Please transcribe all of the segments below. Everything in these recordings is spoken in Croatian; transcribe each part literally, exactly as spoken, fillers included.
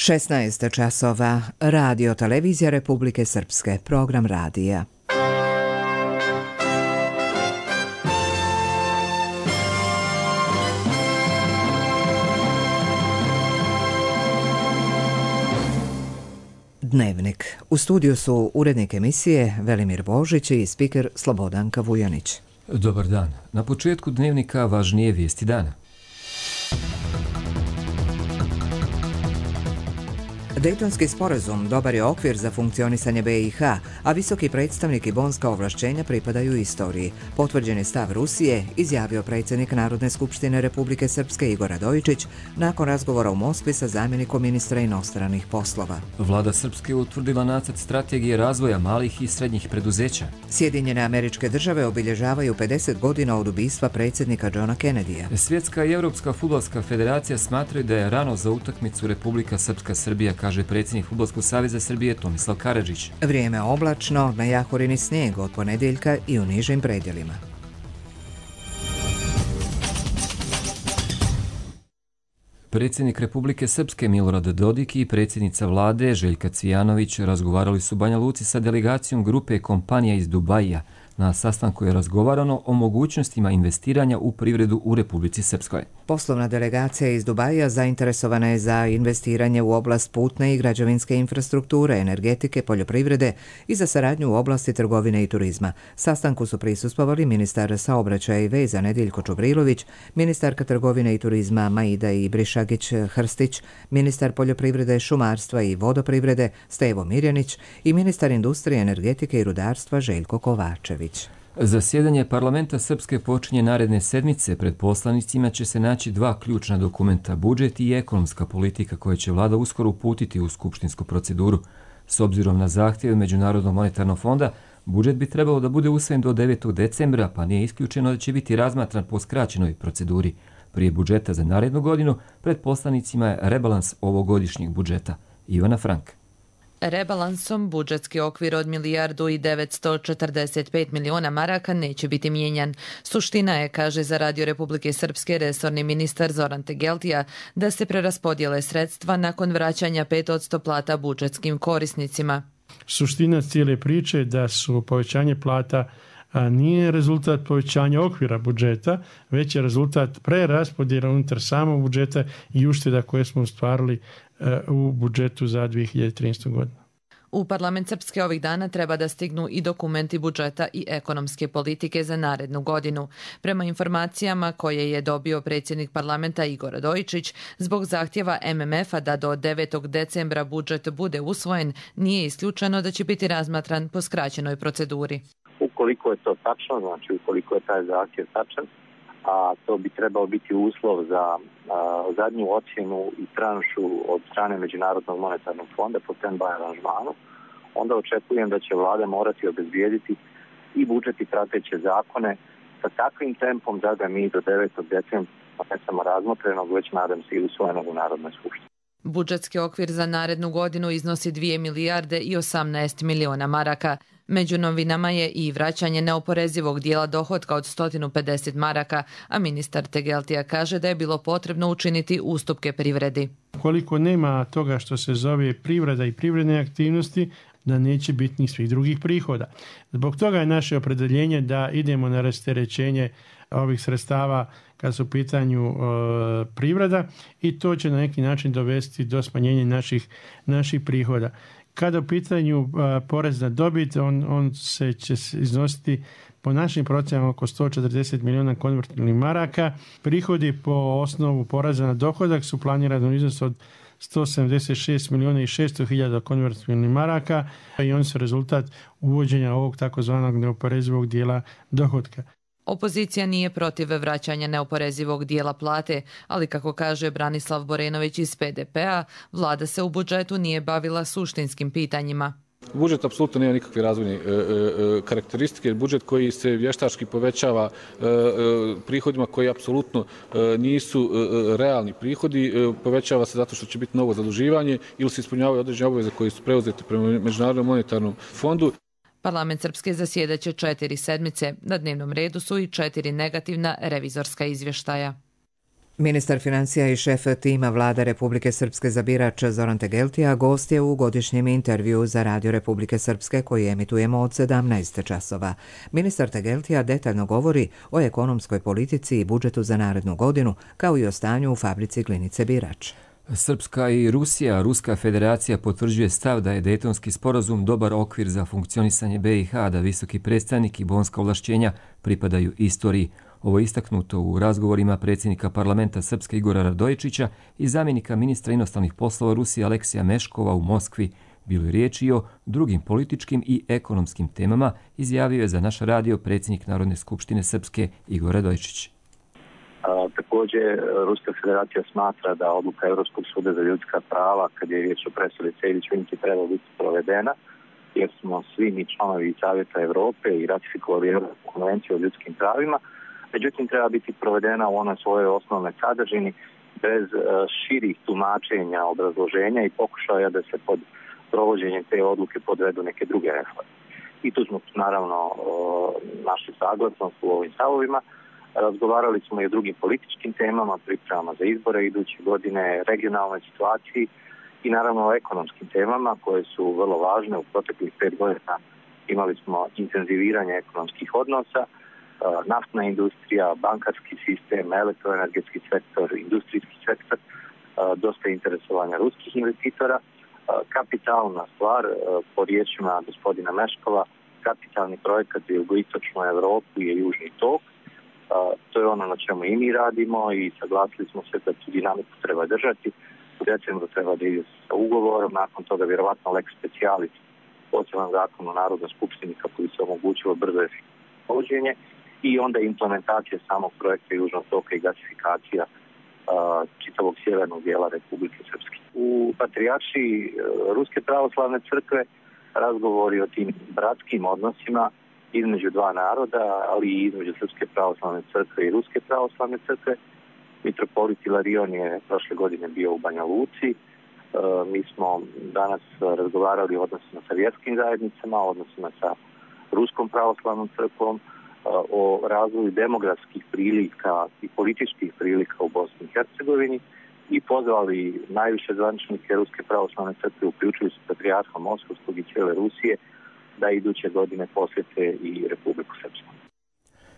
šesnaest časova, Radio Televizija Republike Srpske, program radija. Dnevnik. U studiju su urednik emisije Velimir Božić i spiker Slobodanka Vujanić. Dobar dan. Na početku dnevnika važnije vijesti dana. Dejtonski sporazum dobar je okvir za funkcionisanje be i ha, a visoki predstavnik i bonska ovlašćenja pripadaju istoriji. Potvrđen je stav Rusije, izjavio predsjednik Narodne skupštine Republike Srpske Igor Radojičić nakon razgovora u Moskvi sa zamjenikom ministra inostranih poslova. Vlada Srpske utvrdila nacrt strategije razvoja malih i srednjih preduzeća. Sjedinjene Američke Države obilježavaju pedeset godina od ubistva predsjednika Johna Kennedyja. Svjetska i Europska fudbalska federacija smatraju da je rano za utakmicu Republika Srpska Srbija, kaže predsjednik Fudbalskog saveza Srbije Tomislav Karadžić. Vrijeme oblačno, na Jahorini snijeg od ponedjeljka i u nižim predjelima. Predsjednik Republike Srpske Milorad Dodik i predsjednica vlade Željka Cvijanović razgovarali su u Banja Luci sa delegacijom grupe kompanija iz Dubaija. Na sastanku je razgovarano o mogućnostima investiranja u privredu u Republici Srpskoj. Poslovna delegacija iz Dubaija zainteresovana je za investiranje u oblast putne i građevinske infrastrukture, energetike, poljoprivrede i za saradnju u oblasti trgovine i turizma. Sastanku su prisustvovali ministar saobraćaja i veza Nediljko Čubrilović, ministarka trgovine i turizma Maida Ibrišagić-Hrstić, ministar poljoprivrede, šumarstva i vodoprivrede Stevo Mirjanić i ministar industrije, energetike i rudarstva Željko Kovačević. Zasjedanje parlamenta Srpske počinje naredne sedmice. Pred poslanicima će se naći dva ključna dokumenta, budžet i ekonomska politika, koje će vlada uskoro uputiti u skupštinsku proceduru. S obzirom na zahtjeve Međunarodnog monetarnog fonda, budžet bi trebalo da bude usvojen do devetog decembra, pa nije isključeno da će biti razmatran po skraćenoj proceduri. Prije budžeta za narednu godinu, pred poslanicima je rebalans ovogodišnjeg budžeta. Ivana Frank. Rebalansom budžetski okvir od milijardu i devetsto četrdeset pet miliona maraka neće biti mijenjan. Suština je, kaže za Radio Republike Srpske resorni ministar Zoran Tegeltija, da se preraspodijele sredstva nakon vraćanja pet posto plata budžetskim korisnicima. Suština cijele priče da su povećanje plata a nije rezultat povećanja okvira budžeta, već je rezultat preraspodjela unutar samog budžeta i ušteda koje smo ostvarili u budžetu za dvije hiljade trinaestu. godinu. U parlament Srpske ovih dana treba da stignu i dokumenti budžeta i ekonomske politike za narednu godinu. Prema informacijama koje je dobio predsjednik parlamenta Igor Radojičić, zbog zahtjeva em em ef-a da do devetog decembra budžet bude usvojen, nije isključeno da će biti razmatran po skraćenoj proceduri. Ukoliko je to tačno, znači ukoliko je taj zahtjev tačan, a to bi trebao biti uslov za a, zadnju ocjenu i tranšu od strane Međunarodnog monetarnog fonda po stand-by aranžmanu, onda očekujem da će vlada morati obezbijediti i budžet i prateće zakone sa takvim tempom da ga mi do devetog decembra ne samo razmotrenog, već nadam se i usvojenog u Narodnoj skupštini. Budžetski okvir za narednu godinu iznosi dvije milijarde i osamnaest miliona maraka. Među novinama je i vraćanje neoporezivog dijela dohotka od sto pedeset maraka, a ministar Tegeltija kaže da je bilo potrebno učiniti ustupke privredi. Koliko nema toga što se zove privreda i privredne aktivnosti, da neće biti ni svih drugih prihoda. Zbog toga je naše opredeljenje da idemo na rasterećenje ovih sredstava kad su u pitanju e, privreda i to će na neki način dovesti do smanjenja naših, naših prihoda. Kada u pitanju a, porez na dobit, on, on se će iznositi po našim procjenama oko sto četrdeset miliona konvertibilnih maraka. Prihodi po osnovu poreza na dohodak su planirani u iznosu od sto sedamdeset šest miliona i šesto hiljada konvertibilnih maraka i on su rezultat uvođenja ovog takozvanog neoporezivog dijela dohotka. Opozicija nije protiv vraćanja neoporezivog dijela plate, ali kako kaže Branislav Borenović iz pe de pe-a, vlada se u budžetu nije bavila suštinskim pitanjima. Budžet apsolutno nema nikakve razvojne e, e, karakteristike. Budžet koji se vještački povećava e, e, prihodima koji apsolutno e, nisu e, realni prihodi, e, povećava se zato što će biti novo zaduživanje ili se ispunjavaju određene obaveze koje su preuzete prema Međunarodnom monetarnom fondu. Parlament Srpske zasjedaće četiri sedmice. Na dnevnom redu su i četiri negativna revizorska izvještaja. Ministar financija i šef tima Vlade Republike Srpske za birač Zoran Tegeltija gost je u godišnjem intervju za Radio Republike Srpske koji emitujemo od sedamnaest časova. Ministar Tegeltija detaljno govori o ekonomskoj politici i budžetu za narednu godinu, kao i o stanju u fabrici Glinice Birač. Srpska i Rusija, Ruska federacija potvrđuje stav da je Dejtonski sporazum dobar okvir za funkcionisanje B i H, da visoki predstavnik i bonska ovlašćenja pripadaju istoriji. Ovo je istaknuto u razgovorima predsjednika parlamenta Srpske Igora Radojičića i zamjenika ministra inostranih poslova Rusije Aleksija Meškova u Moskvi. Bilo je riječi o drugim političkim i ekonomskim temama, izjavio je za naš radio predsjednik Narodne skupštine Srpske Igor Radojičić. A, također, Ruska federacija smatra da odluka Europskog suda za ljudska prava, kad je riječ o presudi Sejdić-Vinci, treba biti provedena, jer smo svi mi članovi Savjeta Europe i ratifikovali Europsku konvenciju o ljudskim pravima. Međutim, treba biti provedena u onoj svojoj osnovnoj sadržini bez uh, širih tumačenja, obrazloženja i pokušaja da se pod provođenjem te odluke podvedu neke druge reforme. I tu smo naravno uh, našli saglasnost u ovim stavovima. Razgovarali smo i o drugim političkim temama, pripremama za izbore iduće godine, regionalnoj situaciji i naravno o ekonomskim temama koje su vrlo važne. U proteklih pet godina imali smo intenziviranje ekonomskih odnosa, naftna industrija, bankarski sistem, elektroenergetski sektor, industrijski sektor, dosta interesovanja ruskih investitora. Kapitalna stvar, po riječima gospodina Meškova, kapitalni projekat za jugoistočnu Evropu je Južni tok. To je ono na čemu i mi radimo i saglasili smo se da tu dinamiku treba držati. U decembru treba da ide sa ugovorom, nakon toga vjerovatno lex specialis, poseban zakon u Narodnoj skupštini kako bi se omogućilo brzo efikasno provođenje i onda implementacija samog projekta Južnog toka i gasifikacija uh, čitavog sjevernog dijela Republike Srpske. U patrijaršiji uh, Ruske pravoslavne crkve razgovori o tim bratskim odnosima između dva naroda, ali i između Srpske pravoslavne crkve i Ruske pravoslavne crkve. Mitropolit Ilarion je prošle godine bio u Banja Luci. Uh, mi smo danas razgovarali o odnosima sa vjerskim zajednicama, o odnosima sa Ruskom pravoslavnom crkvom, o razvoju demografskih prilika i političkih prilika u Bosni i Hercegovini i pozvali najviše zvaničnike Ruske pravoslavne crkve, uključujući patrijarha Moskovskog i cijele Rusije, da iduće godine posjete i Republiku Srpsku.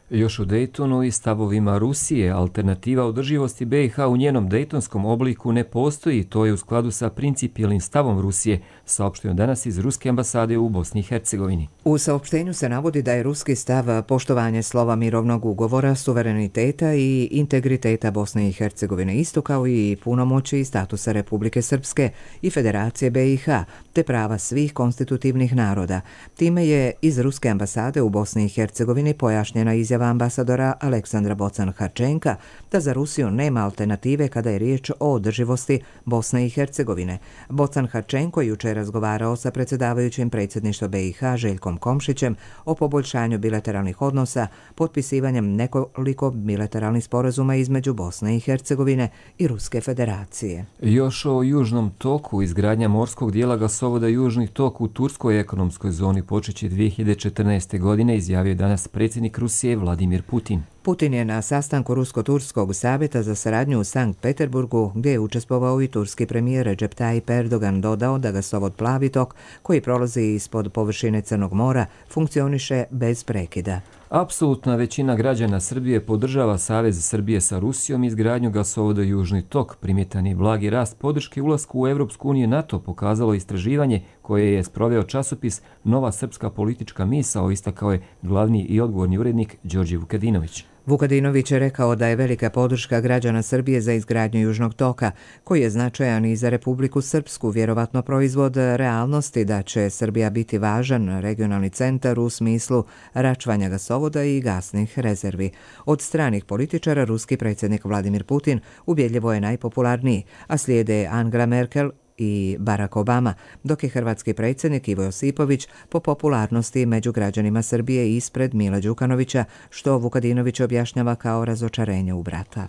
Još u Dejtonu i stavovima Rusije, alternativa održivosti B i H u njenom dejtonskom obliku ne postoji, to je u skladu sa principijelnim stavom Rusije, saopšteno danas iz Ruske ambasade u Bosni i Hercegovini. U saopštenju se navodi da je ruski stav poštovanje slova mirovnog ugovora, suvereniteta i integriteta Bosne i Hercegovine, isto kao i punomoći i statusa Republike Srpske i Federacije B i H, te prava svih konstitutivnih naroda. Time je iz Ruske ambasade u Bosni i Hercegovini pojašnjena izjava ambasadora Aleksandra Bocan-Harčenka da za Rusiju nema alternative kada je riječ o održivosti Bosne i Hercegovine. Bocan-Harčenko jučer je razgovarao sa predsjedavajućim predsjedništva B i H Željkom Komšićem o poboljšanju bilateralnih odnosa, potpisivanjem nekoliko bilateralnih sporazuma između Bosne i Hercegovine i Ruske federacije. Još o Južnom toku, izgradnja morskog dijela gasovoda Južni tok u turskoj ekonomskoj zoni počeće dvije hiljade četrnaeste. godine, izjavio danas predsjednik Rusije Vladimir Putin. Putin je na sastanku Rusko-Turskog savjeta za saradnju u Sankt Peterburgu, gdje je učestvovao i turski premijer Recep Tayyip Erdogan, dodao da gasovod Plavi tok, koji prolazi ispod površine Crnog mora, funkcioniše bez prekida. Apsolutna većina građana Srbije podržava Savez Srbije sa Rusijom i izgradnju gasovoda Južni tok. Primjetan je blagi rast podrške ulasku u Evropsku uniju i NATO, pokazalo istraživanje koje je sproveo časopis Nova srpska politička misao, istakao je glavni i odgovorni urednik Đorđe Vukadinović. Vukadinović je rekao da je velika podrška građana Srbije za izgradnju Južnog toka, koji je značajan i za Republiku Srpsku, vjerovatno proizvod realnosti da će Srbija biti važan regionalni centar u smislu račvanja gasovoda i gasnih rezervi. Od stranih političara ruski predsjednik Vladimir Putin ubjedljivo je najpopularniji, a slijede Angela Merkel i Barack Obama, dok je hrvatski predsjednik Ivo Josipović po popularnosti među građanima Srbije ispred Mila Đukanovića, što Vukadinović objašnjava kao razočarenje u brata.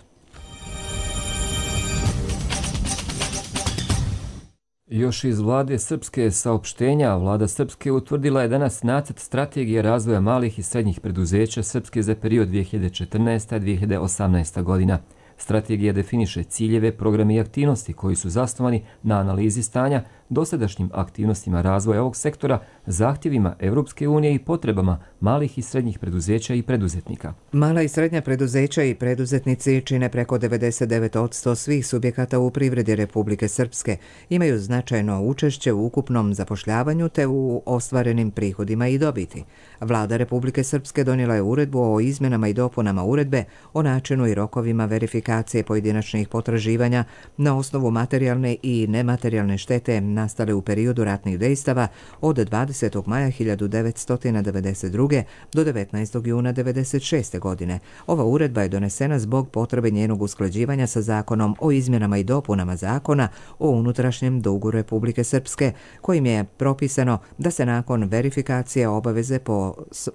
Još iz vlade Srpske saopštenja, vlada Srpske utvrdila je danas nacrt strategije razvoja malih i srednjih preduzeća Srpske za period dvije hiljade četrnaesta do dvije hiljade osamnaesta. godina. Strategija definiše ciljeve, programe i aktivnosti koji su zasnovani na analizi stanja, dosadašnjim aktivnostima razvoja ovog sektora, zahtjevima Europske unije i potrebama malih i srednjih preduzeća i preduzetnika. Mala i srednja preduzeća i preduzetnici čine preko devedeset devet posto svih subjekata u privredi Republike Srpske, imaju značajno učešće u ukupnom zapošljavanju te u ostvarenim prihodima i dobiti. Vlada Republike Srpske donijela je uredbu o izmjenama i dopunama uredbe o načinu i rokovima verifikacije pojedinačnih potraživanja na osnovu materijalne i nematerijalne štete nastale u periodu ratnih dejstava od dvadesetog maja hiljadu devetsto devedeset druge. do devetnaestog juna devedeset šeste. godine. Ova uredba je donesena zbog potrebe njenog usklađivanja sa zakonom o izmjenama i dopunama zakona o unutrašnjem dugu Republike Srpske, kojim je propisano da se nakon verifikacije obaveze po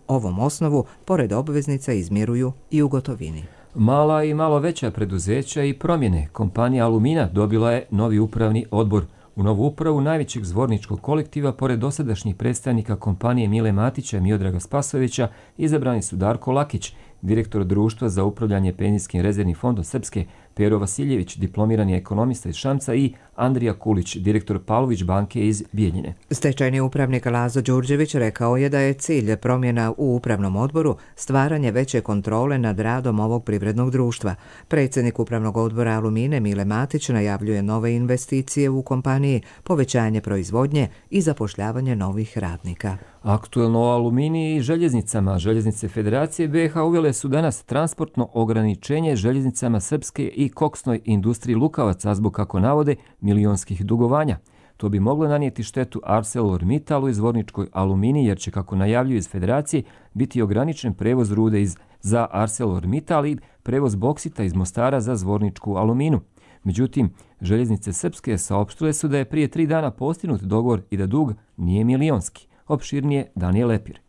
ovom osnovu, pored obveznica, izmiruju i u gotovini. Mala i malo veća preduzeća i promjene. Kompanija Alumina dobila je novi upravni odbor. U novu upravu najvećeg zvorničkog kolektiva, pored dosadašnjih predstavnika kompanije Mile Matića i Miodraga Spasojevića, izabrani su Darko Lakić, direktor Društva za upravljanje penzijskim rezervnim fondom Srpske, Pero Vasiljević, diplomirani ekonomista iz Šamca, i Andrija Kulić, direktor Pavlović banke iz Bijeljine. Stečajni upravnik Lazo Đurđević rekao je da je cilj promjena u upravnom odboru stvaranje veće kontrole nad radom ovog privrednog društva. Predsjednik upravnog odbora Alumine Mile Matić najavljuje nove investicije u kompaniji, povećanje proizvodnje i zapošljavanje novih radnika. Aktuelno o Aluminiji i željeznicama. Željeznice Federacije B i H uvele su danas transportno ograničenje željeznicama srpske i koksnoj industriji Lukavaca zbog, kako navode, milionskih dugovanja. To bi moglo nanijeti štetu ArcelorMittalu i zvorničkoj Aluminiji, jer će, kako najavljuju iz Federacije, biti ograničen prevoz rude iz, za ArcelorMittal i prevoz boksita iz Mostara za zvorničku Aluminu. Međutim, željeznice srpske saopštile su da je prije tri dana postignut dogovor i da dug nije milionski. Opširnije Danijel Lepir.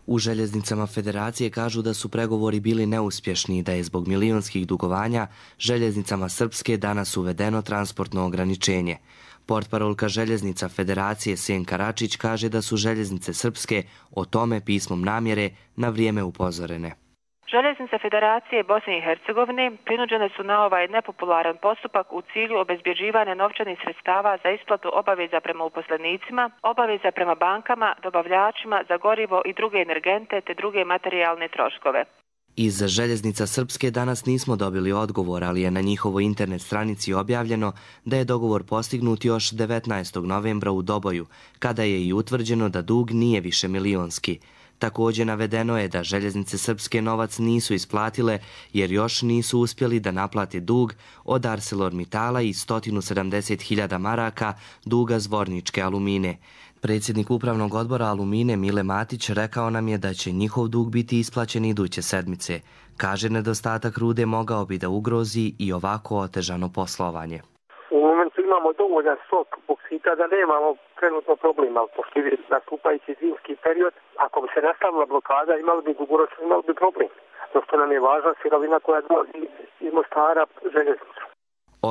U željeznicama Federacije kažu da su pregovori bili neuspješni i da je zbog milionskih dugovanja željeznicama Srpske danas uvedeno transportno ograničenje. Portparolka željeznica Federacije Senka Račić kaže da su željeznice Srpske o tome pismom namjere na vrijeme upozorene. Željeznice Federacije Bosne i Hercegovine prinuđene su na ovaj nepopularan postupak u cilju obezbjeđivanja novčanih sredstava za isplatu obaveza prema uposlenicima, obaveza prema bankama, dobavljačima za gorivo i druge energente te druge materijalne troškove. Iz željeznica Srpske danas nismo dobili odgovor, ali je na njihovoj internet stranici objavljeno da je dogovor postignut još devetnaestog novembra u Doboju, kada je i utvrđeno da dug nije više milionski. Također navedeno je da željeznice Srpske novac nisu isplatile jer još nisu uspjeli da naplate dug od ArcelorMittala i sto sedamdeset hiljada maraka duga zvorničke Alumine. Predsjednik upravnog odbora Alumine Mile Matić rekao nam je da će njihov dug biti isplaćen iduće sedmice. Kaže, nedostatak rude mogao bi da ugrozi i ovako otežano poslovanje. U momentu imamo dovoljan stok boksita da nemamo trenutno problema, pošto je nastupajući zimski period. Ako bi se nastavila blokada, imali bi dugoročno, imali bi problem. Zato nam je važna sirovina koja dolazi iz Mostara željeznicu.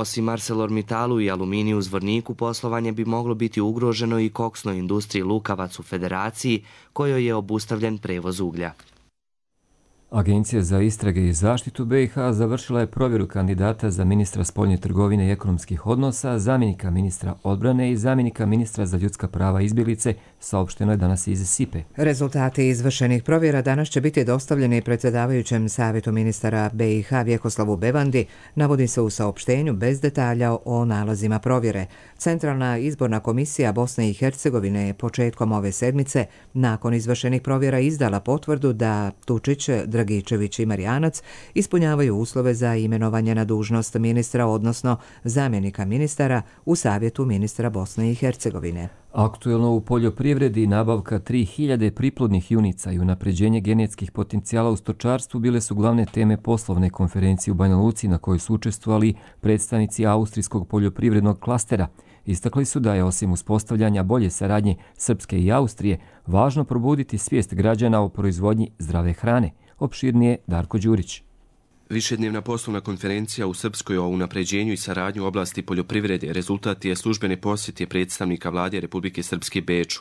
Osim ArcelorMittalu i Aluminiju u Zvorniku, poslovanje bi moglo biti ugroženo i koksnoj industriji Lukavac u Federaciji, kojoj je obustavljen prevoz uglja. Agencija za istrage i zaštitu B i H završila je provjeru kandidata za ministra spoljne trgovine i ekonomskih odnosa, zamjenika ministra odbrane i zamjenika ministra za ljudska prava i izbjeglice, saopšteno je danas iz S I P E. Rezultati izvršenih provjera danas će biti dostavljeni predsjedavajućem savjetu ministara B i H Vjekoslavu Bevandi, navodi se u saopštenju bez detalja o nalazima provjere. Centralna izborna komisija Bosne i Hercegovine je početkom ove sedmice, nakon izvršenih provjera, izdala potvrdu da Tučić, Dragičević i Marijanac ispunjavaju uslove za imenovanje na dužnost ministra, odnosno zamjenika ministara u savjetu ministra Bosne i Hercegovine. Aktuelno u poljoprivredi nabavka tri hiljade priplodnih junica i unapređenje genetskih potencijala u stočarstvu bile su glavne teme poslovne konferencije u Banja Luci, na kojoj su učestvovali predstavnici austrijskog poljoprivrednog klastera. Istakli su da je, osim uspostavljanja bolje saradnje Srpske i Austrije, važno probuditi svijest građana o proizvodnji zdrave hrane. Opširnije Darko Đurić. Višednevna poslovna konferencija u Srpskoj o unapređenju i saradnju u oblasti poljoprivrede rezultat je službene posjete predstavnika vlade Republike Srpske Beču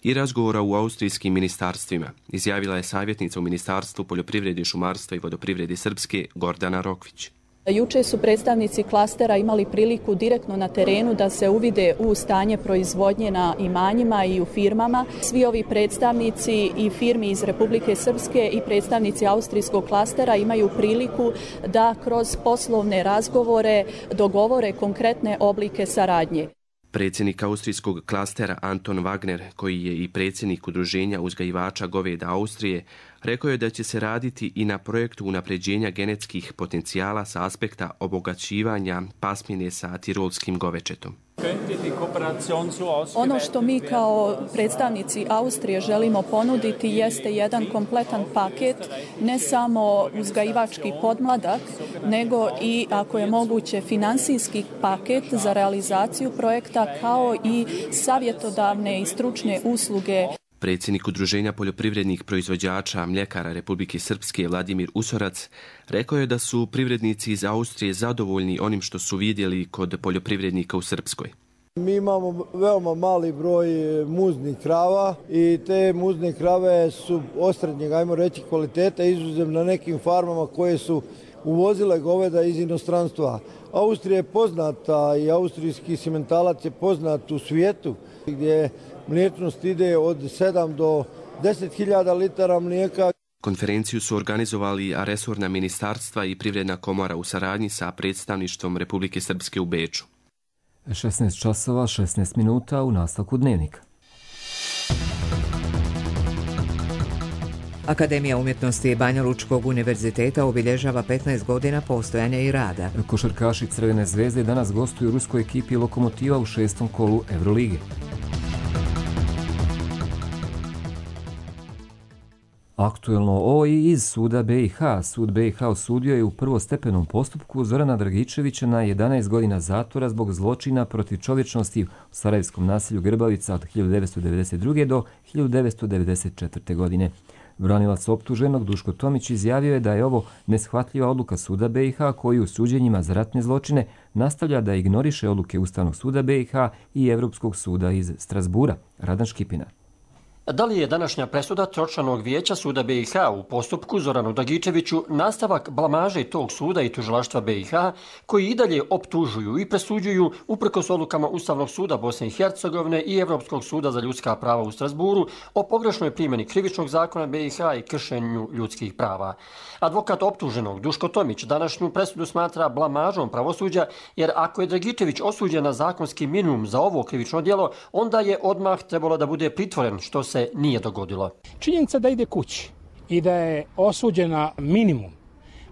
i razgovora u austrijskim ministarstvima, izjavila je savjetnica u Ministarstvu poljoprivrede, šumarstva i vodoprivrede Srpske Gordana Rokvić. Juče su predstavnici klastera imali priliku direktno na terenu da se uvide u stanje proizvodnje na imanjima i u firmama. Svi ovi predstavnici i firmi iz Republike Srpske i predstavnici austrijskog klastera imaju priliku da kroz poslovne razgovore dogovore konkretne oblike saradnje. Predsjednik austrijskog klastera Anton Wagner, koji je i predsjednik udruženja uzgajivača goveda Austrije, rekao je da će se raditi i na projektu unapređenja genetskih potencijala sa aspekta obogaćivanja pasmine sa tirolskim govečetom. Ono što mi kao predstavnici Austrije želimo ponuditi jeste jedan kompletan paket, ne samo uzgajivački podmladak, nego i, ako je moguće, finansijski paket za realizaciju projekta, kao i savjetodavne i stručne usluge. Predsjednik Udruženja poljoprivrednih proizvođača mljekara Republike Srpske Vladimir Usorac rekao je da su privrednici iz Austrije zadovoljni onim što su vidjeli kod poljoprivrednika u Srpskoj. Mi imamo veoma mali broj muznih krava i te muzne krave su osrednjeg, ajmo reći, kvaliteta, izuzev na nekim farmama koje su uvozile goveda iz inostranstva. Austrija je poznata i austrijski simentalac je poznat u svijetu, gdje mliječnost ide od sedam do deset hiljada litara mlijeka. Konferenciju su organizovali resorna ministarstva i privredna komora u saradnji sa predstavništvom Republike Srpske u Beču. šesnaest časova, šesnaest minuta u nastavku dnevnika. Akademija umjetnosti Banja Lučkog univerziteta obilježava petnaest godina postojanja i rada. Košarkaši Crvene zvezde danas gostuju u ruskoj ekipi Lokomotiva u šestom kolu Evrolige. Aktuelno o i iz suda be i ha. Sud be i ha osudio je u prvostepenom postupku Zorana Dragičevića na jedanaest godina zatvora zbog zločina protiv čovječnosti u sarajevskom naselju Grbavica od hiljadu devetsto devedeset druge. do hiljadu devetsto devedeset četvrte. godine. Branilac optuženog Duško Tomić izjavio je da je ovo neshvatljiva odluka suda be i ha koji u suđenjima za ratne zločine nastavlja da ignoriše odluke Ustavnog suda be i ha i Evropskog suda iz Strasbura. Radan Škipina. Da li je današnja presuda tročlanog vijeća suda be i ha u postupku Zoranu Dragičeviću nastavak blamaže tog suda i tužilaštva be i ha koji i dalje optužuju i presuđuju uprkos odlukama Ustavnog suda Bosne i Hercegovine i Evropskog suda za ljudska prava u Strasburu o pogrešnoj primjeni krivičnog zakona be i ha i kršenju ljudskih prava. Advokat optuženog Duško Tomić današnju presudu smatra blamažom pravosuđa, jer ako je Dragičević osuđen na zakonski minimum za ovo krivično djelo, onda je odmah trebalo da bude pritvoren, što se nije dogodilo. Činjenica da ide kući i da je osuđena minimum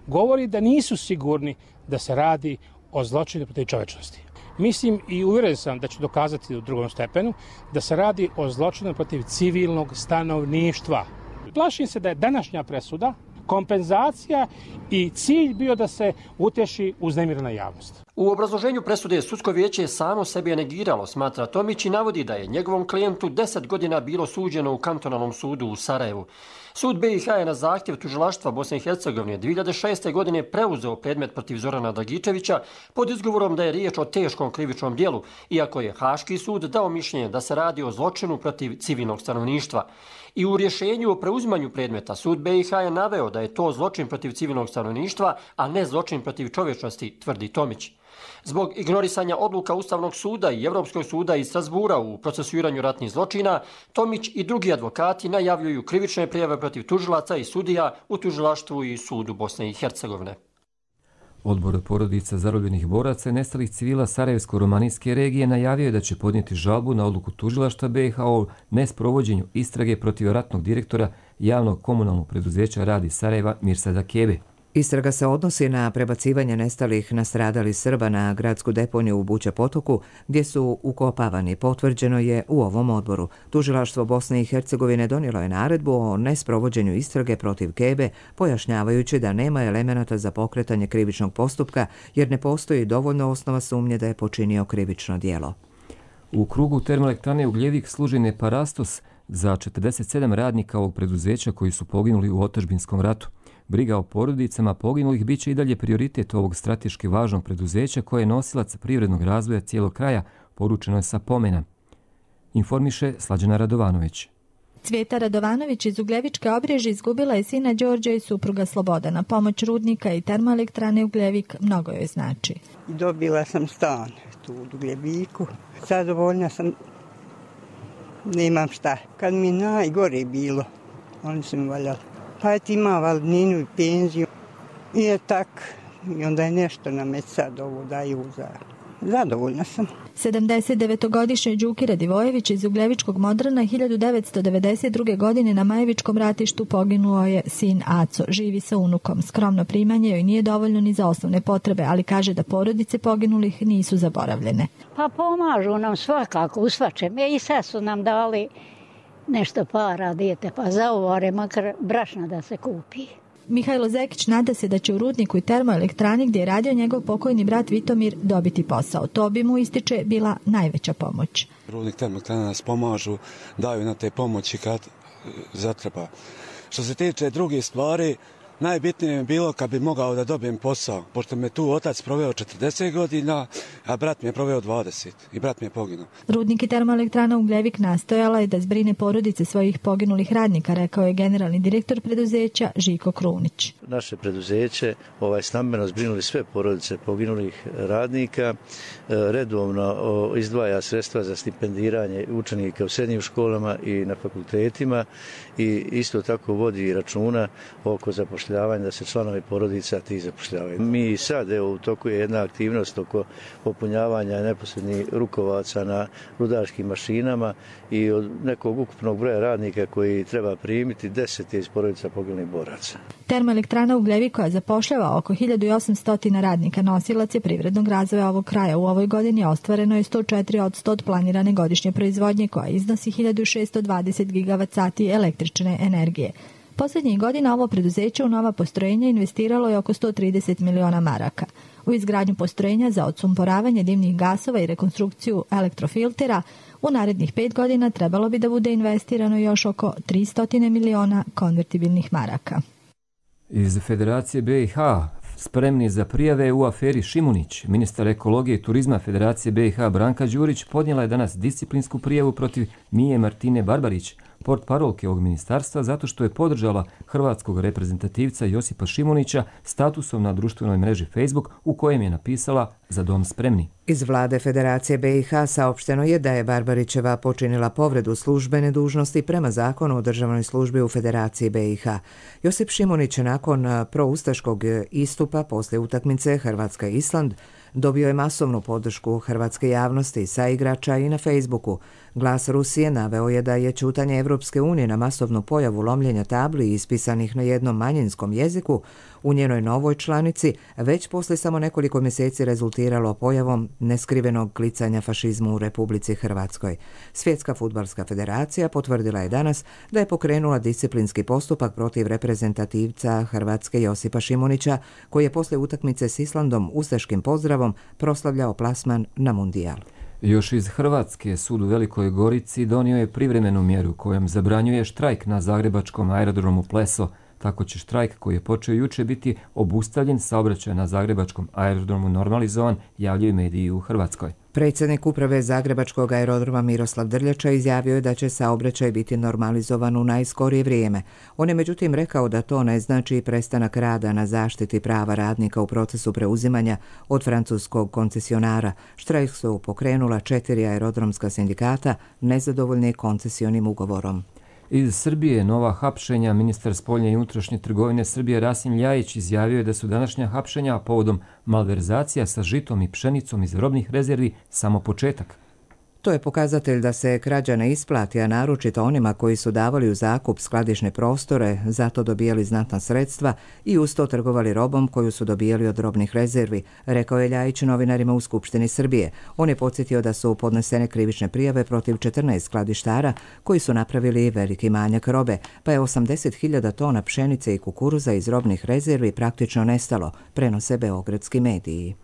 govori da nisu sigurni da se radi o zločinu protiv čovječnosti. Mislim i uvjeren sam da ću dokazati u drugom stepenu da se radi o zločinu protiv civilnog stanovništva. Plašim se da je današnja presuda kompenzacija i cilj bio da se uteši uznemirena javnost. U obrazloženju presude sudsko vijeće samo sebi negiralo, smatra Tomić, i navodi da je njegovom klijentu deset godina bilo suđeno u kantonalnom sudu u Sarajevu. Sud be i ha je na zahtjev tužilaštva Bosne i Hercegovine dvije hiljade šeste. godine preuzeo predmet protiv Zorana Dragičevića pod izgovorom da je riječ o teškom krivičnom djelu, iako je Haški sud dao mišljenje da se radi o zločinu protiv civilnog stanovništva. I u rješenju o preuzimanju predmeta sud be i ha je naveo da je to zločin protiv civilnog stanovništva, a ne zločin protiv čovječnosti, tvrdi Tomić. Zbog ignorisanja odluka Ustavnog suda i Evropskog suda iz Strasbura u procesuiranju ratnih zločina, Tomić i drugi advokati najavljuju krivične prijave protiv tužilaca i sudija u tužilaštvu i sudu Bosne i Hercegovine. Odbor porodica zarobljenih boraca i nestalih civila Sarajevsko-romanijske regije najavio je da će podnijeti žalbu na odluku tužilaštva be i ha o nesprovođenju istrage protiv ratnog direktora javnog komunalnog preduzeća Radi Sarajeva Mirsada Kebe. Istraga se odnosi na prebacivanje nestalih nastradalih Srba na gradsku deponiju u Buća Potoku, gdje su ukopavani, potvrđeno je u ovom odboru. Tužilaštvo Bosne i Hercegovine donijelo je naredbu o nesprovođenju istrage protiv Kebe, pojašnjavajući da nema elemenata za pokretanje krivičnog postupka, jer ne postoji dovoljno osnova sumnje da je počinio krivično djelo. U krugu termoelektrane Ugljevik služi neparastos za četrdeset sedam radnika ovog preduzeća koji su poginuli u otadžbinskom ratu. Briga o porodicama poginulih bit će i dalje prioritet ovog strateški važnog preduzeća koje je nosilac privrednog razvoja cijelog kraja, poručeno je sa pomena. Informiše Slađana Radovanović. Cvjeta Radovanović iz Ugljevičke Obreže izgubila je sina Đorđa i supruga Slobodana. Pomoć rudnika i termoelektrane Ugljevik mnogo joj znači. Dobila sam stan tu u Ugljeviku. Zadovoljna sam, nemam šta. Kad mi najgore bilo, oni su mi valjali. Pa ti ima valninu i penziju. I je tak. I onda je nešto na me sad ovo daju za... Zadovoljna sam. sedamdesetdevetogodišnji Đuki Radivojević iz Ugljevičkog Modrana hiljadu devetsto devedeset druge. godine na Majevičkom ratištu poginuo je sin Aco. Živi sa unukom. Skromno primanje joj nije dovoljno ni za osnovne potrebe, ali kaže da porodice poginulih nisu zaboravljene. Pa pomažu nam svakako u svačem. I sad su nam dali nešto para, dijete, pa zauvare makar brašna da se kupi. Mihajlo Zekić nada se da će u rudniku i termoelektrani gdje je radio njegov pokojni brat Vitomir dobiti posao. To bi mu, ističe, bila najveća pomoć. Rudnik termoelektrana nas pomažu, daju na te pomoći kad zatreba. Što se tiče drugih stvari, najbitnije je bilo kad bi mogao da dobijem posao, pošto me tu otac proveo četrdeset godina, a brat mi je proveo dvadeset i brat mi je poginuo. Rudnik i termoelektrana Ugljevik nastojala je da zbrine porodice svojih poginulih radnika, rekao je generalni direktor preduzeća Žiko Krunić. Naše preduzeće ovaj, stambeno zbrinuli sve porodice poginulih radnika, redovno izdvaja sredstva za stipendiranje učenika u srednjim školama i na fakultetima i isto tako vodi računa oko zapošljavanja da se članovi porodica tih zapošljavaju. Mi sad, evo, u toku je jedna aktivnost oko popunjavanja neposrednih rukovaca na rudarskim mašinama i od nekog ukupnog broja radnika koji treba primiti, deset je iz porodica poginulih boraca. Termoelektrana Ugljevik koja zapošljava oko hiljadu osamsto radnika nosilac je privrednog razvoja ovog kraja. U ovoj godini ostvareno je sto četiri posto od planirane godišnje proizvodnje koja iznosi hiljadu šesto dvadeset gigavat sati električne energije. Posljednjih godina ovo preduzeće u nova postrojenja investiralo je oko sto trideset miliona maraka. U izgradnju postrojenja za odsumporavanje dimnih gasova i rekonstrukciju elektrofiltera u narednih pet godina trebalo bi da bude investirano još oko tristo miliona konvertibilnih maraka. Iz Federacije B i H spremni za prijave u aferi Šimunić, ministar ekologije i turizma Federacije B i H Branka Đurić podnijela je danas disciplinsku prijavu protiv Mije Martine Barbarić, portparolke ovog ministarstva, zato što je podržala hrvatskog reprezentativca Josipa Šimunića statusom na društvenoj mreži Facebook u kojem je napisala "Za dom spremni". Iz vlade Federacije B i H saopšteno je da je Barbarićeva počinila povredu službene dužnosti prema zakonu o državnoj službi u Federaciji B i H. Josip Šimunić nakon proustaškog istupa poslije utakmice Hrvatska-Island dobio je masovnu podršku hrvatske javnosti, saigrača i na Facebooku. Glas Rusije naveo je da je ćutanje Evropske unije na masovnu pojavu lomljenja tabli ispisanih na jednom manjinskom jeziku u njenoj novoj članici već posle samo nekoliko mjeseci rezultiralo pojavom neskrivenog klicanja fašizmu u Republici Hrvatskoj. Svjetska fudbalska federacija potvrdila je danas da je pokrenula disciplinski postupak protiv reprezentativca Hrvatske Josipa Šimunića, koji je posle utakmice s Islandom ustaškim pozdravom proslavljao plasman na mundijal. Još iz Hrvatske sud u Velikoj Gorici donio je privremenu mjeru kojom zabranjuje štrajk na zagrebačkom aerodromu Pleso. Tako će štrajk koji je počeo juče biti obustavljen, saobraćaj na zagrebačkom aerodromu normalizovan, javljaju mediji u Hrvatskoj. Predsjednik uprave Zagrebačkog aerodroma Miroslav Drljača izjavio je da će saobraćaj biti normalizovan u najskorije vrijeme. On je međutim rekao da to ne znači prestanak rada na zaštiti prava radnika u procesu preuzimanja od francuskog koncesionara. Štrajk su pokrenula četiri aerodromska sindikata nezadovoljni koncesionim ugovorom. Iz Srbije nova hapšenja. Ministar spoljne i unutrašnje trgovine Srbije Rasim Ljajić izjavio je da su današnja hapšenja povodom malverzacija sa žitom i pšenicom iz robnih rezervi samo početak. To je pokazatelj da se krađa ne isplati, a naročito onima koji su davali u zakup skladišne prostore, zato dobijali znatna sredstva i uz to trgovali robom koju su dobijali od robnih rezervi, rekao je Ljajić novinarima u Skupštini Srbije. On je podsjetio da su podnesene krivične prijave protiv četrnaest skladištara koji su napravili veliki manjak robe, pa je osamdeset hiljada tona pšenice i kukuruza iz robnih rezervi praktično nestalo, prenose beogradski mediji.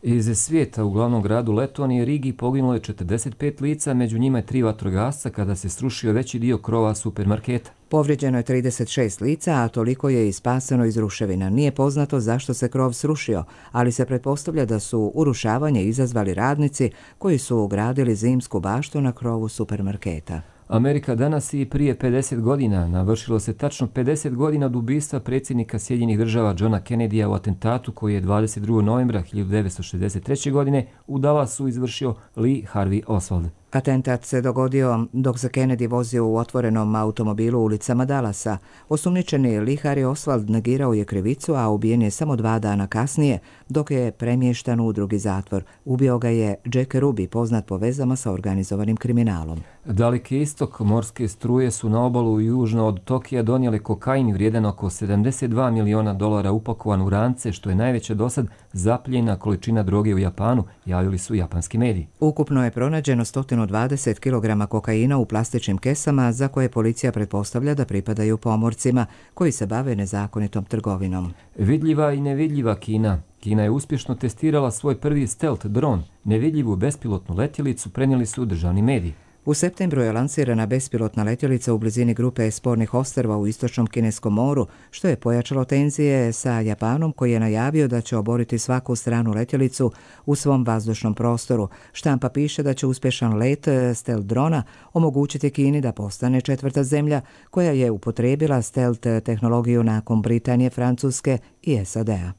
Iz svijeta u glavnom gradu Letonije Rigi poginulo je četrdeset pet lica, među njima je tri vatrogasca kada se srušio veći dio krova supermarketa. Povrijeđeno je trideset šest lica, a toliko je i spaseno iz ruševina. Nije poznato zašto se krov srušio, ali se pretpostavlja da su urušavanje izazvali radnici koji su ugradili zimsku baštu na krovu supermarketa. Amerika danas i prije pedeset godina, navršilo se tačno pedeset godina od ubistva predsjednika Sjedinjenih država Johna Kennedya u atentatu koji je dvadeset drugog novembra hiljadu devetsto šezdeset treće. godine u Dallasu izvršio Lee Harvey Oswald. Atentat se dogodio dok se Kennedy vozio u otvorenom automobilu ulicama Dallasa. Osumnjičeni Lee Harvey Oswald negirao je krivicu, a ubijen je samo dva dana kasnije, dok je premještan u drugi zatvor. Ubio ga je Jack Ruby, poznat po vezama sa organizovanim kriminalom. Daleki istok morske struje su na obalu južno od Tokija donijeli kokain vrijedan oko sedamdeset dva miliona dolara upakovan u rance, što je najveća dosad zapljena količina droge u Japanu, javili su japanski mediji. Ukupno je pronađeno sto dvadeset kilograma kokaina u plastičnim kesama za koje policija pretpostavlja da pripadaju pomorcima koji se bave nezakonitom trgovinom. Vidljiva i nevidljiva Kina. Kina je uspješno testirala svoj prvi stealth dron. Nevidljivu bespilotnu letjelicu prenijeli su državni mediji. U septembru je lansirana bespilotna letjelica u blizini grupe spornih ostrva u istočnom Kineskom moru, što je pojačalo tenzije sa Japanom koji je najavio da će oboriti svaku stranu letjelicu u svom vazdušnom prostoru. Štampa piše da će uspješan let stealth drona omogućiti Kini da postane četvrta zemlja koja je upotrijebila stealth tehnologiju nakon Britanije, Francuske i S A D-a.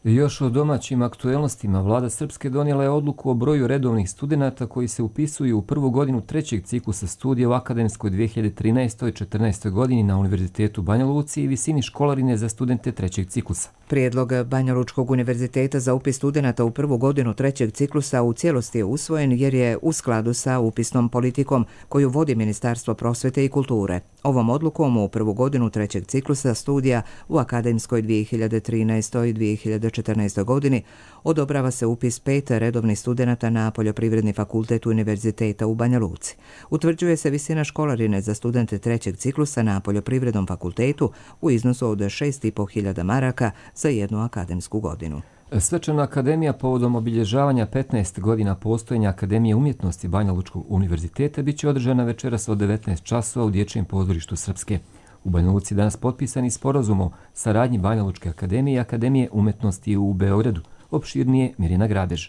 Još o domaćim aktuelnostima, vlada Srpske donijela je odluku o broju redovnih studenata koji se upisuju u prvu godinu trećeg ciklusa studija u akademskoj dvije hiljade trinaestoj četrnaestoj. godini na Univerzitetu Banja Luci i visini školarine za studente trećeg ciklusa. Prijedlog Banja Lučkog univerziteta za upis studenata u prvu godinu trećeg ciklusa u cijelosti je usvojen jer je u skladu sa upisnom politikom koju vodi Ministarstvo prosvete i kulture. Ovom odlukom u prvu godinu trećeg ciklusa studija u akademskoj dvije hiljade trinaestoj dvije hiljade četrnaestoj. godini odobrava se upis pet redovnih studenata na Poljoprivredni fakultet Univerziteta u Banja Luci. Utvrđuje se visina školarine za studente trećeg ciklusa na Poljoprivrednom fakultetu u iznosu od šest i pol hiljada maraka za jednu akademsku godinu. Svečana akademija povodom obilježavanja petnaest godina postojanja Akademije umjetnosti Banja Lučkog univerziteta bit će održana večeras od devetnaest časova u Dječjem pozorištu Srpske. U Banja Luci danas potpisani sporazum o saradnji Banja Lučke akademije i Akademije umjetnosti u Beogradu. Opširnije Mirjana Grabež.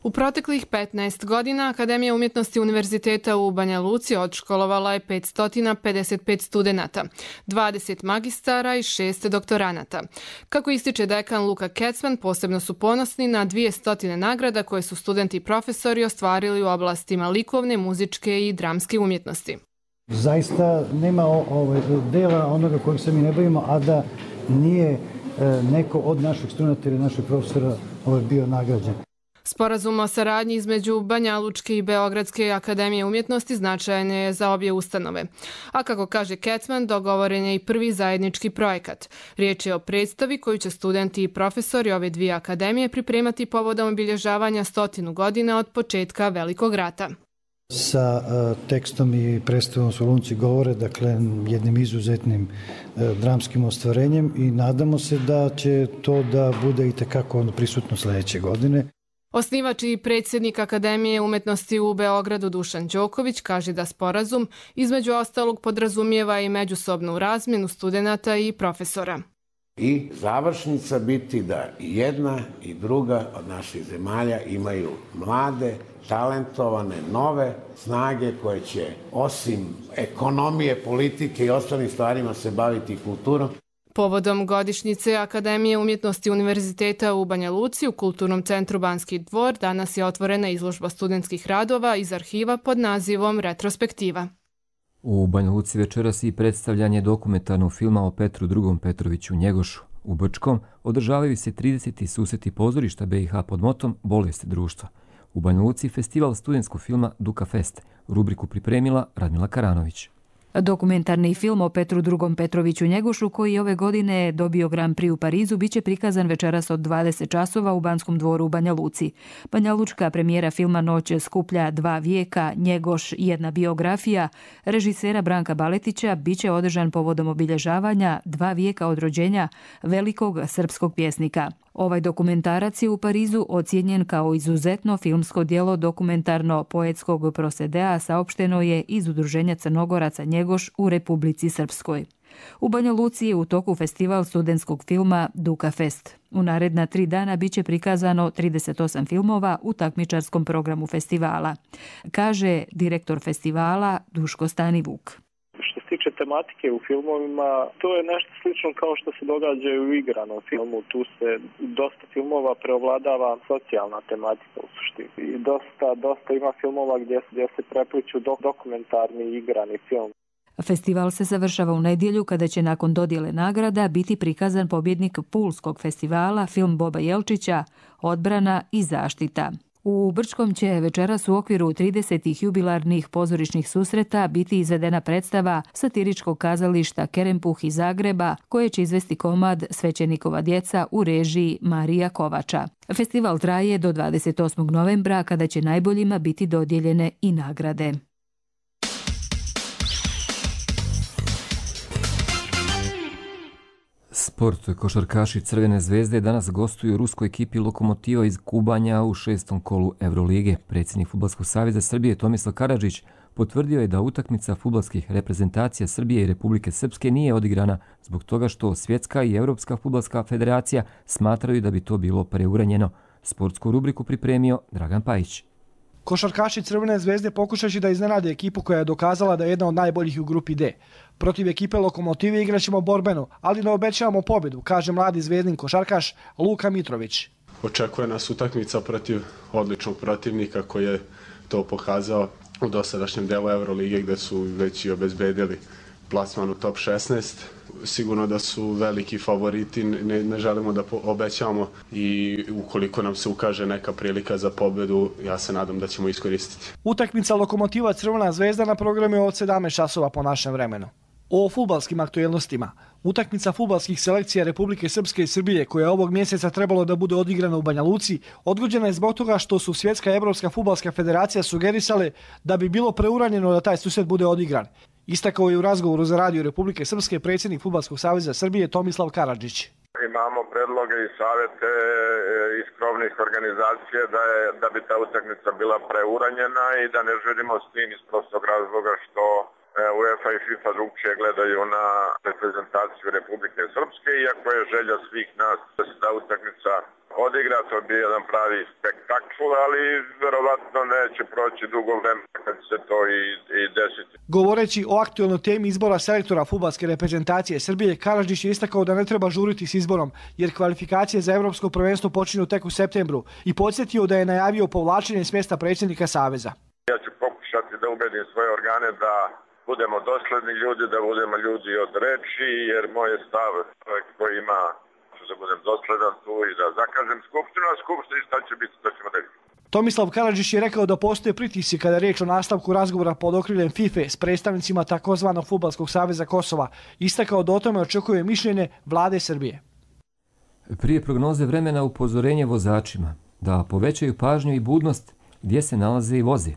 U proteklih petnaest godina Akademija umjetnosti Univerziteta u Banja Luci odškolovala je petsto pedeset pet studenata, dvadeset magistara i šest doktoranata. Kako ističe dekan Luka Kecman, posebno su ponosni na dvjesto nagrada koje su studenti i profesori ostvarili u oblastima likovne, muzičke i dramske umjetnosti. Zaista nema ovaj dela onoga kojim se mi ne bavimo, a da nije neko od naših studenta ili naših profesora ovaj bio nagrađen. Sporazum o saradnji između Banja Lučke i Beogradske akademije umjetnosti značajan je za obje ustanove. A kako kaže Kecman, dogovoren je i prvi zajednički projekat. Riječ je o predstavi koju će studenti i profesori ove dvije akademije pripremati povodom obilježavanja stotinu godina od početka Velikog rata. Sa uh, tekstom i predstavom Solunci govore, dakle, jednim izuzetnim uh, dramskim ostvarenjem i nadamo se da će to da bude i tekako prisutno sljedeće godine. Osnivač i predsjednik Akademije umjetnosti u Beogradu Dušan Đoković kaže da sporazum između ostalog podrazumijeva i međusobnu razmjenu studenata i profesora. I završnica biti da i jedna i druga od naših zemalja imaju mlade, talentovane, nove snage koje će osim ekonomije, politike i ostalim stvarima se baviti kulturom. Povodom godišnjice Akademije umjetnosti Univerziteta u Banja Luci u Kulturnom centru Banski dvor danas je otvorena izložba studentskih radova iz arhiva pod nazivom Retrospektiva. U Banja Luci večeras i predstavljanje dokumentarnog filma o Petru drugom Petroviću Njegošu. U Brčkom održavaju se trideseti susreti pozorišta B i H pod motom Bolest društva. U Banja Luci festival studentskog filma Duka Fest. Rubriku pripremila Radmila Karanović. Dokumentarni film o Petru drugom Petroviću Njegošu, koji ove godine dobio Grand Prix u Parizu, biće prikazan večeras od dvadeset časova u Banskom dvoru u Banja Luci. Banja Lučka premijera filma Noć skuplja dva vijeka, Njegoš jedna biografija, režisera Branka Baletića, biće održan povodom obilježavanja dva vijeka od rođenja velikog srpskog pjesnika. Ovaj dokumentarac je u Parizu ocijenjen kao izuzetno filmsko djelo dokumentarno-poetskog prosedea, saopšteno je iz Udruženja Crnogoraca Njegoš u Republici Srpskoj. U Banja Luci je u toku festival studentskog filma Duka Fest. U naredna tri dana biće prikazano trideset osam filmova u takmičarskom programu festivala, kaže direktor festivala Duško Stanivuk. Što se tiče tematike u filmovima, to je nešto slično kao što se događa i u igranom filmu. Tu se dosta filmova preovladava socijalna tematika u suštini. I dosta, dosta ima filmova gdje, gdje se prepliču dok, dokumentarni i igrani film. Festival se završava u nedjelju kada će nakon dodjele nagrada biti prikazan pobjednik Pulskog festivala, film Boba Jelčića, Odbrana i zaštita. U Brčkom će večeras u okviru tridesetih jubilarnih pozorišnih susreta biti izvedena predstava satiričkog kazališta Kerempuh iz Zagreba, koje će izvesti komad Svećenikova djeca u režiji Marija Kovača. Festival traje do dvadeset osmog novembra kada će najboljima biti dodijeljene i nagrade. Sport. Košarkaši Crvene zvezde danas gostuju ruskoj ekipi Lokomotiva iz Kubanja u šestom kolu Evrolige. Predsjednik Fudbalskog saveza Srbije Tomislav Karadžić potvrdio je da utakmica fudbalskih reprezentacija Srbije i Republike Srpske nije odigrana zbog toga što Svjetska i Europska fudbalska federacija smatraju da bi to bilo preuranjeno. Sportsku rubriku pripremio Dragan Pajić. Košarkaši Crvene zvezde pokušajući da iznenade ekipu koja je dokazala da je jedna od najboljih u grupi D. Protiv ekipe Lokomotive igraćemo borbeno, ali ne obećavamo pobjedu, kaže mladi zvezdin košarkaš Luka Mitrović. Očekuje nas utakmica protiv odličnog protivnika koji je to pokazao u dosadašnjem delu Evrolige gdje su već i obezbedili plasman u top šesnaest. Sigurno da su veliki favoriti, ne, ne želimo da obećavamo i ukoliko nam se ukaže neka prilika za pobjedu, ja se nadam da ćemo iskoristiti. Utakmica Lokomotiva Crvena zvezda na programu je od sedamnaest časova po našem vremenu. O fudbalskim aktuelnostima. Utakmica fudbalskih selekcija Republike Srpske i Srbije, koja je ovog mjeseca trebalo da bude odigrana u Banja Luci, odgođena je zbog toga što su Svjetska i Evropska fudbalska federacija sugerisale da bi bilo preuranjeno da taj susret bude odigran. Istakao je u razgovoru za radio Republike Srpske predsjednik Fudbalskog saveza Srbije Tomislav Karadžić. Imamo predloge i savete iz krovnih organizacija da, je, da bi ta utakmica bila preuranjena i da ne želimo s tim iz prostog razloga što UEFA i FIFA drugčije gledaju na reprezentaciju Republike Srpske, iako je želja svih nas da se ta utakmica odigra, to bi jedan pravi spektakl, ali verovatno neće proći dugo vremena kad se to i, i desiti. Govoreći o aktualnoj temi izbora selektora fudbalske reprezentacije Srbije, Karadžić je istakao da ne treba žuriti s izborom, jer kvalifikacije za evropsko prvenstvo počinju tek u septembru i podsjetio da je najavio povlačenje s mjesta predsjednika saveza. Ja ću pokušati da ubedim svoje organe da budemo dosledni ljudi, da budemo ljudi od reči, jer moj je stav koji ima da budem dosledan tu i da zakažem skupštinu, a skupštini šta će biti, to ćemo da vidimo. Tomislav Karadžić je rekao da postoje pritisci kada je riječ o nastavku razgovora pod okriljem FIFA s predstavnicima takozvanog Fudbalskog saveza Kosova. Istakao da o tome očekuje mišljenje vlade Srbije. Prije prognoze vremena upozorenje vozačima da povećaju pažnju i budnost gdje se nalaze i voze.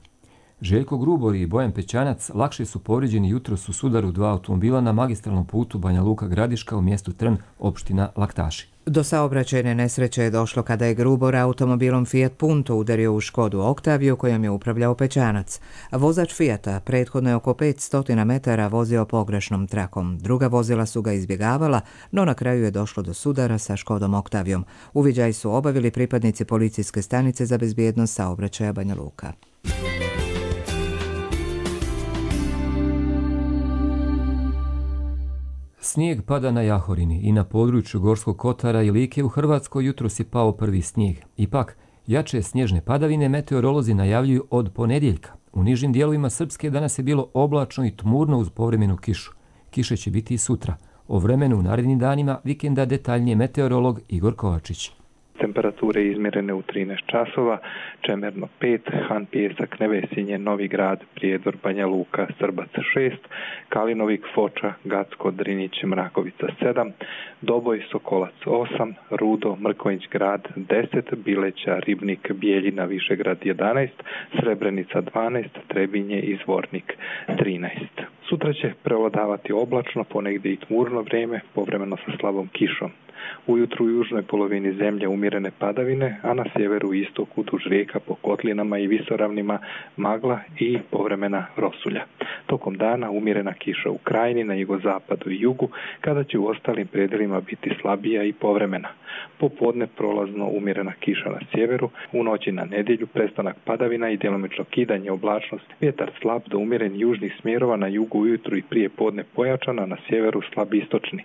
Željko Grubor i Bojan Pećanac lakše su povrijeđeni jutros u sudaru dva automobila na magistralnom putu Banja Luka Gradiška u mjestu Trn, opština Laktaši. Do saobraćajne nesreće je došlo kada je Grubor automobilom Fiat Punto udario u Škodu Oktaviju kojom je upravljao Pećanac. Vozač Fiata prethodno je oko petsto metara vozio pogrešnom trakom. Druga vozila su ga izbjegavala, no na kraju je došlo do sudara sa Škodom Oktavijom. Uviđaj su obavili pripadnici policijske stanice za bezbjednost saobraćaja Banja Luka. Snijeg pada na Jahorini i na području Gorskog Kotara i Like u Hrvatskoj jutros je pao prvi snijeg. Ipak, jače snježne padavine meteorolozi najavljuju od ponedjeljka. U nižim dijelovima Srpske danas je bilo oblačno i tmurno uz povremenu kišu. Kiše će biti i sutra. O vremenu u narednim danima vikenda detaljnije meteorolog Igor Kovačić. Temperature izmjerene u trinaest časova, Čemerno pet, Han Pijesak, Nevesinje, Novi Grad, Prijedor, Banja Luka, Srbac šest, Kalinovik, Foča, Gacko, Drinić, Mrakovica sedam, Doboj, Sokolac osam, Rudo, Mrkonjić Grad deset, Bileća, Ribnik, Bijeljina, Višegrad jedanaest, Srebrenica dvanaest, Trebinje i Zvornik trinaest. Sutra će prevladavati oblačno, ponegdje i tmurno vrijeme, povremeno sa slabom kišom. Ujutru u južnoj polovini zemlje umjerene padavine, a na sjeveru i istoku duž rijeka po kotlinama i visoravnima magla i povremena rosulja. Tokom dana umjerena kiša u krajini, na jugozapadu i jugu, kada će u ostalim predjelima biti slabija i povremena. Popodne prolazno umjerena kiša na sjeveru, u noći na nedjelju prestanak padavina i djelomično kidanje oblačnosti, vjetar slab do umjeren južnih smjerova, na jugu ujutru i prije podne pojačana, na sjeveru slab istočni.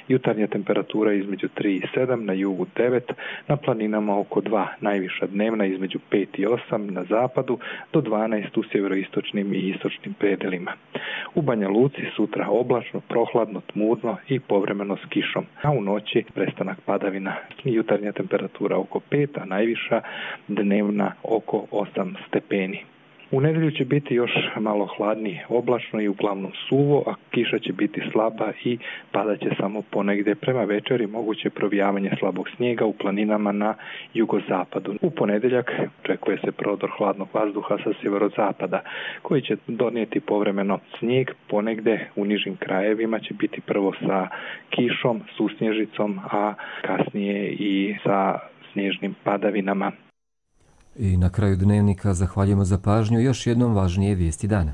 Jutarnja temperatura između tri i sedam, na jugu devet, na planinama oko dva, najviša dnevna između pet i osam na zapadu do dvanaest u sjeveroistočnim i istočnim predjelima. U Banja Luci sutra oblačno, prohladno, tmurno i povremeno s kišom, a u noći prestanak padavina. Jutarnja temperatura oko pet, a najviša dnevna oko osam stepeni. U nedjelju će biti još malo hladnije, oblačno i uglavnom suvo, a kiša će biti slaba i padat će samo ponegdje. Prema večeri moguće provijavanje slabog snijega u planinama na jugozapadu. U ponedjeljak očekuje se prodor hladnog vazduha sa sjeverozapada, koji će donijeti povremeno snijeg. Ponegdje u nižim krajevima će biti prvo sa kišom, susnježicom, a kasnije i sa snježnim padavinama. I na kraju dnevnika zahvaljujemo za pažnju, još jednom važnije vijesti dana.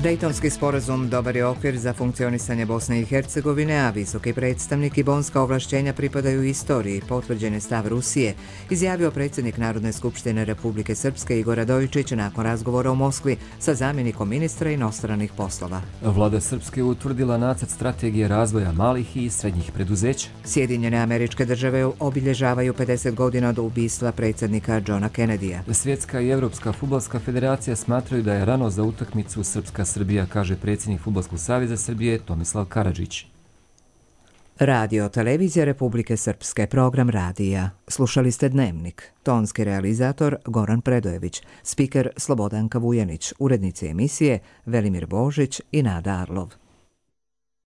Dejtonski sporazum dobar je okvir za funkcionisanje Bosne i Hercegovine, a visoki predstavnik i bonska ovlašćenja pripadaju istoriji, potvrđen je stav Rusije, izjavio predsjednik Narodne skupštine Republike Srpske Igor Radojičić nakon razgovora u Moskvi sa zamjenikom ministra inostranih poslova. Vlada Srpske utvrdila nacrt strategije razvoja malih i srednjih preduzeća. Sjedinjene Američke Države obilježavaju pedeset godina od ubistva predsjednika Johna Kennedya. Svjetska i Evropska fudbalska federacija smatraju da je rano za utakmicu Srpska Srbija, kaže predsjednik Fudbalskog saveza Srbije Tomislav Karadžić. Radio Televizija Republike Srpske, program radija. Slušali ste Dnevnik. Tonski realizator Goran Predojević, spiker Slobodanka Vujanić, urednici emisije Velimir Božić i Nada Arlov.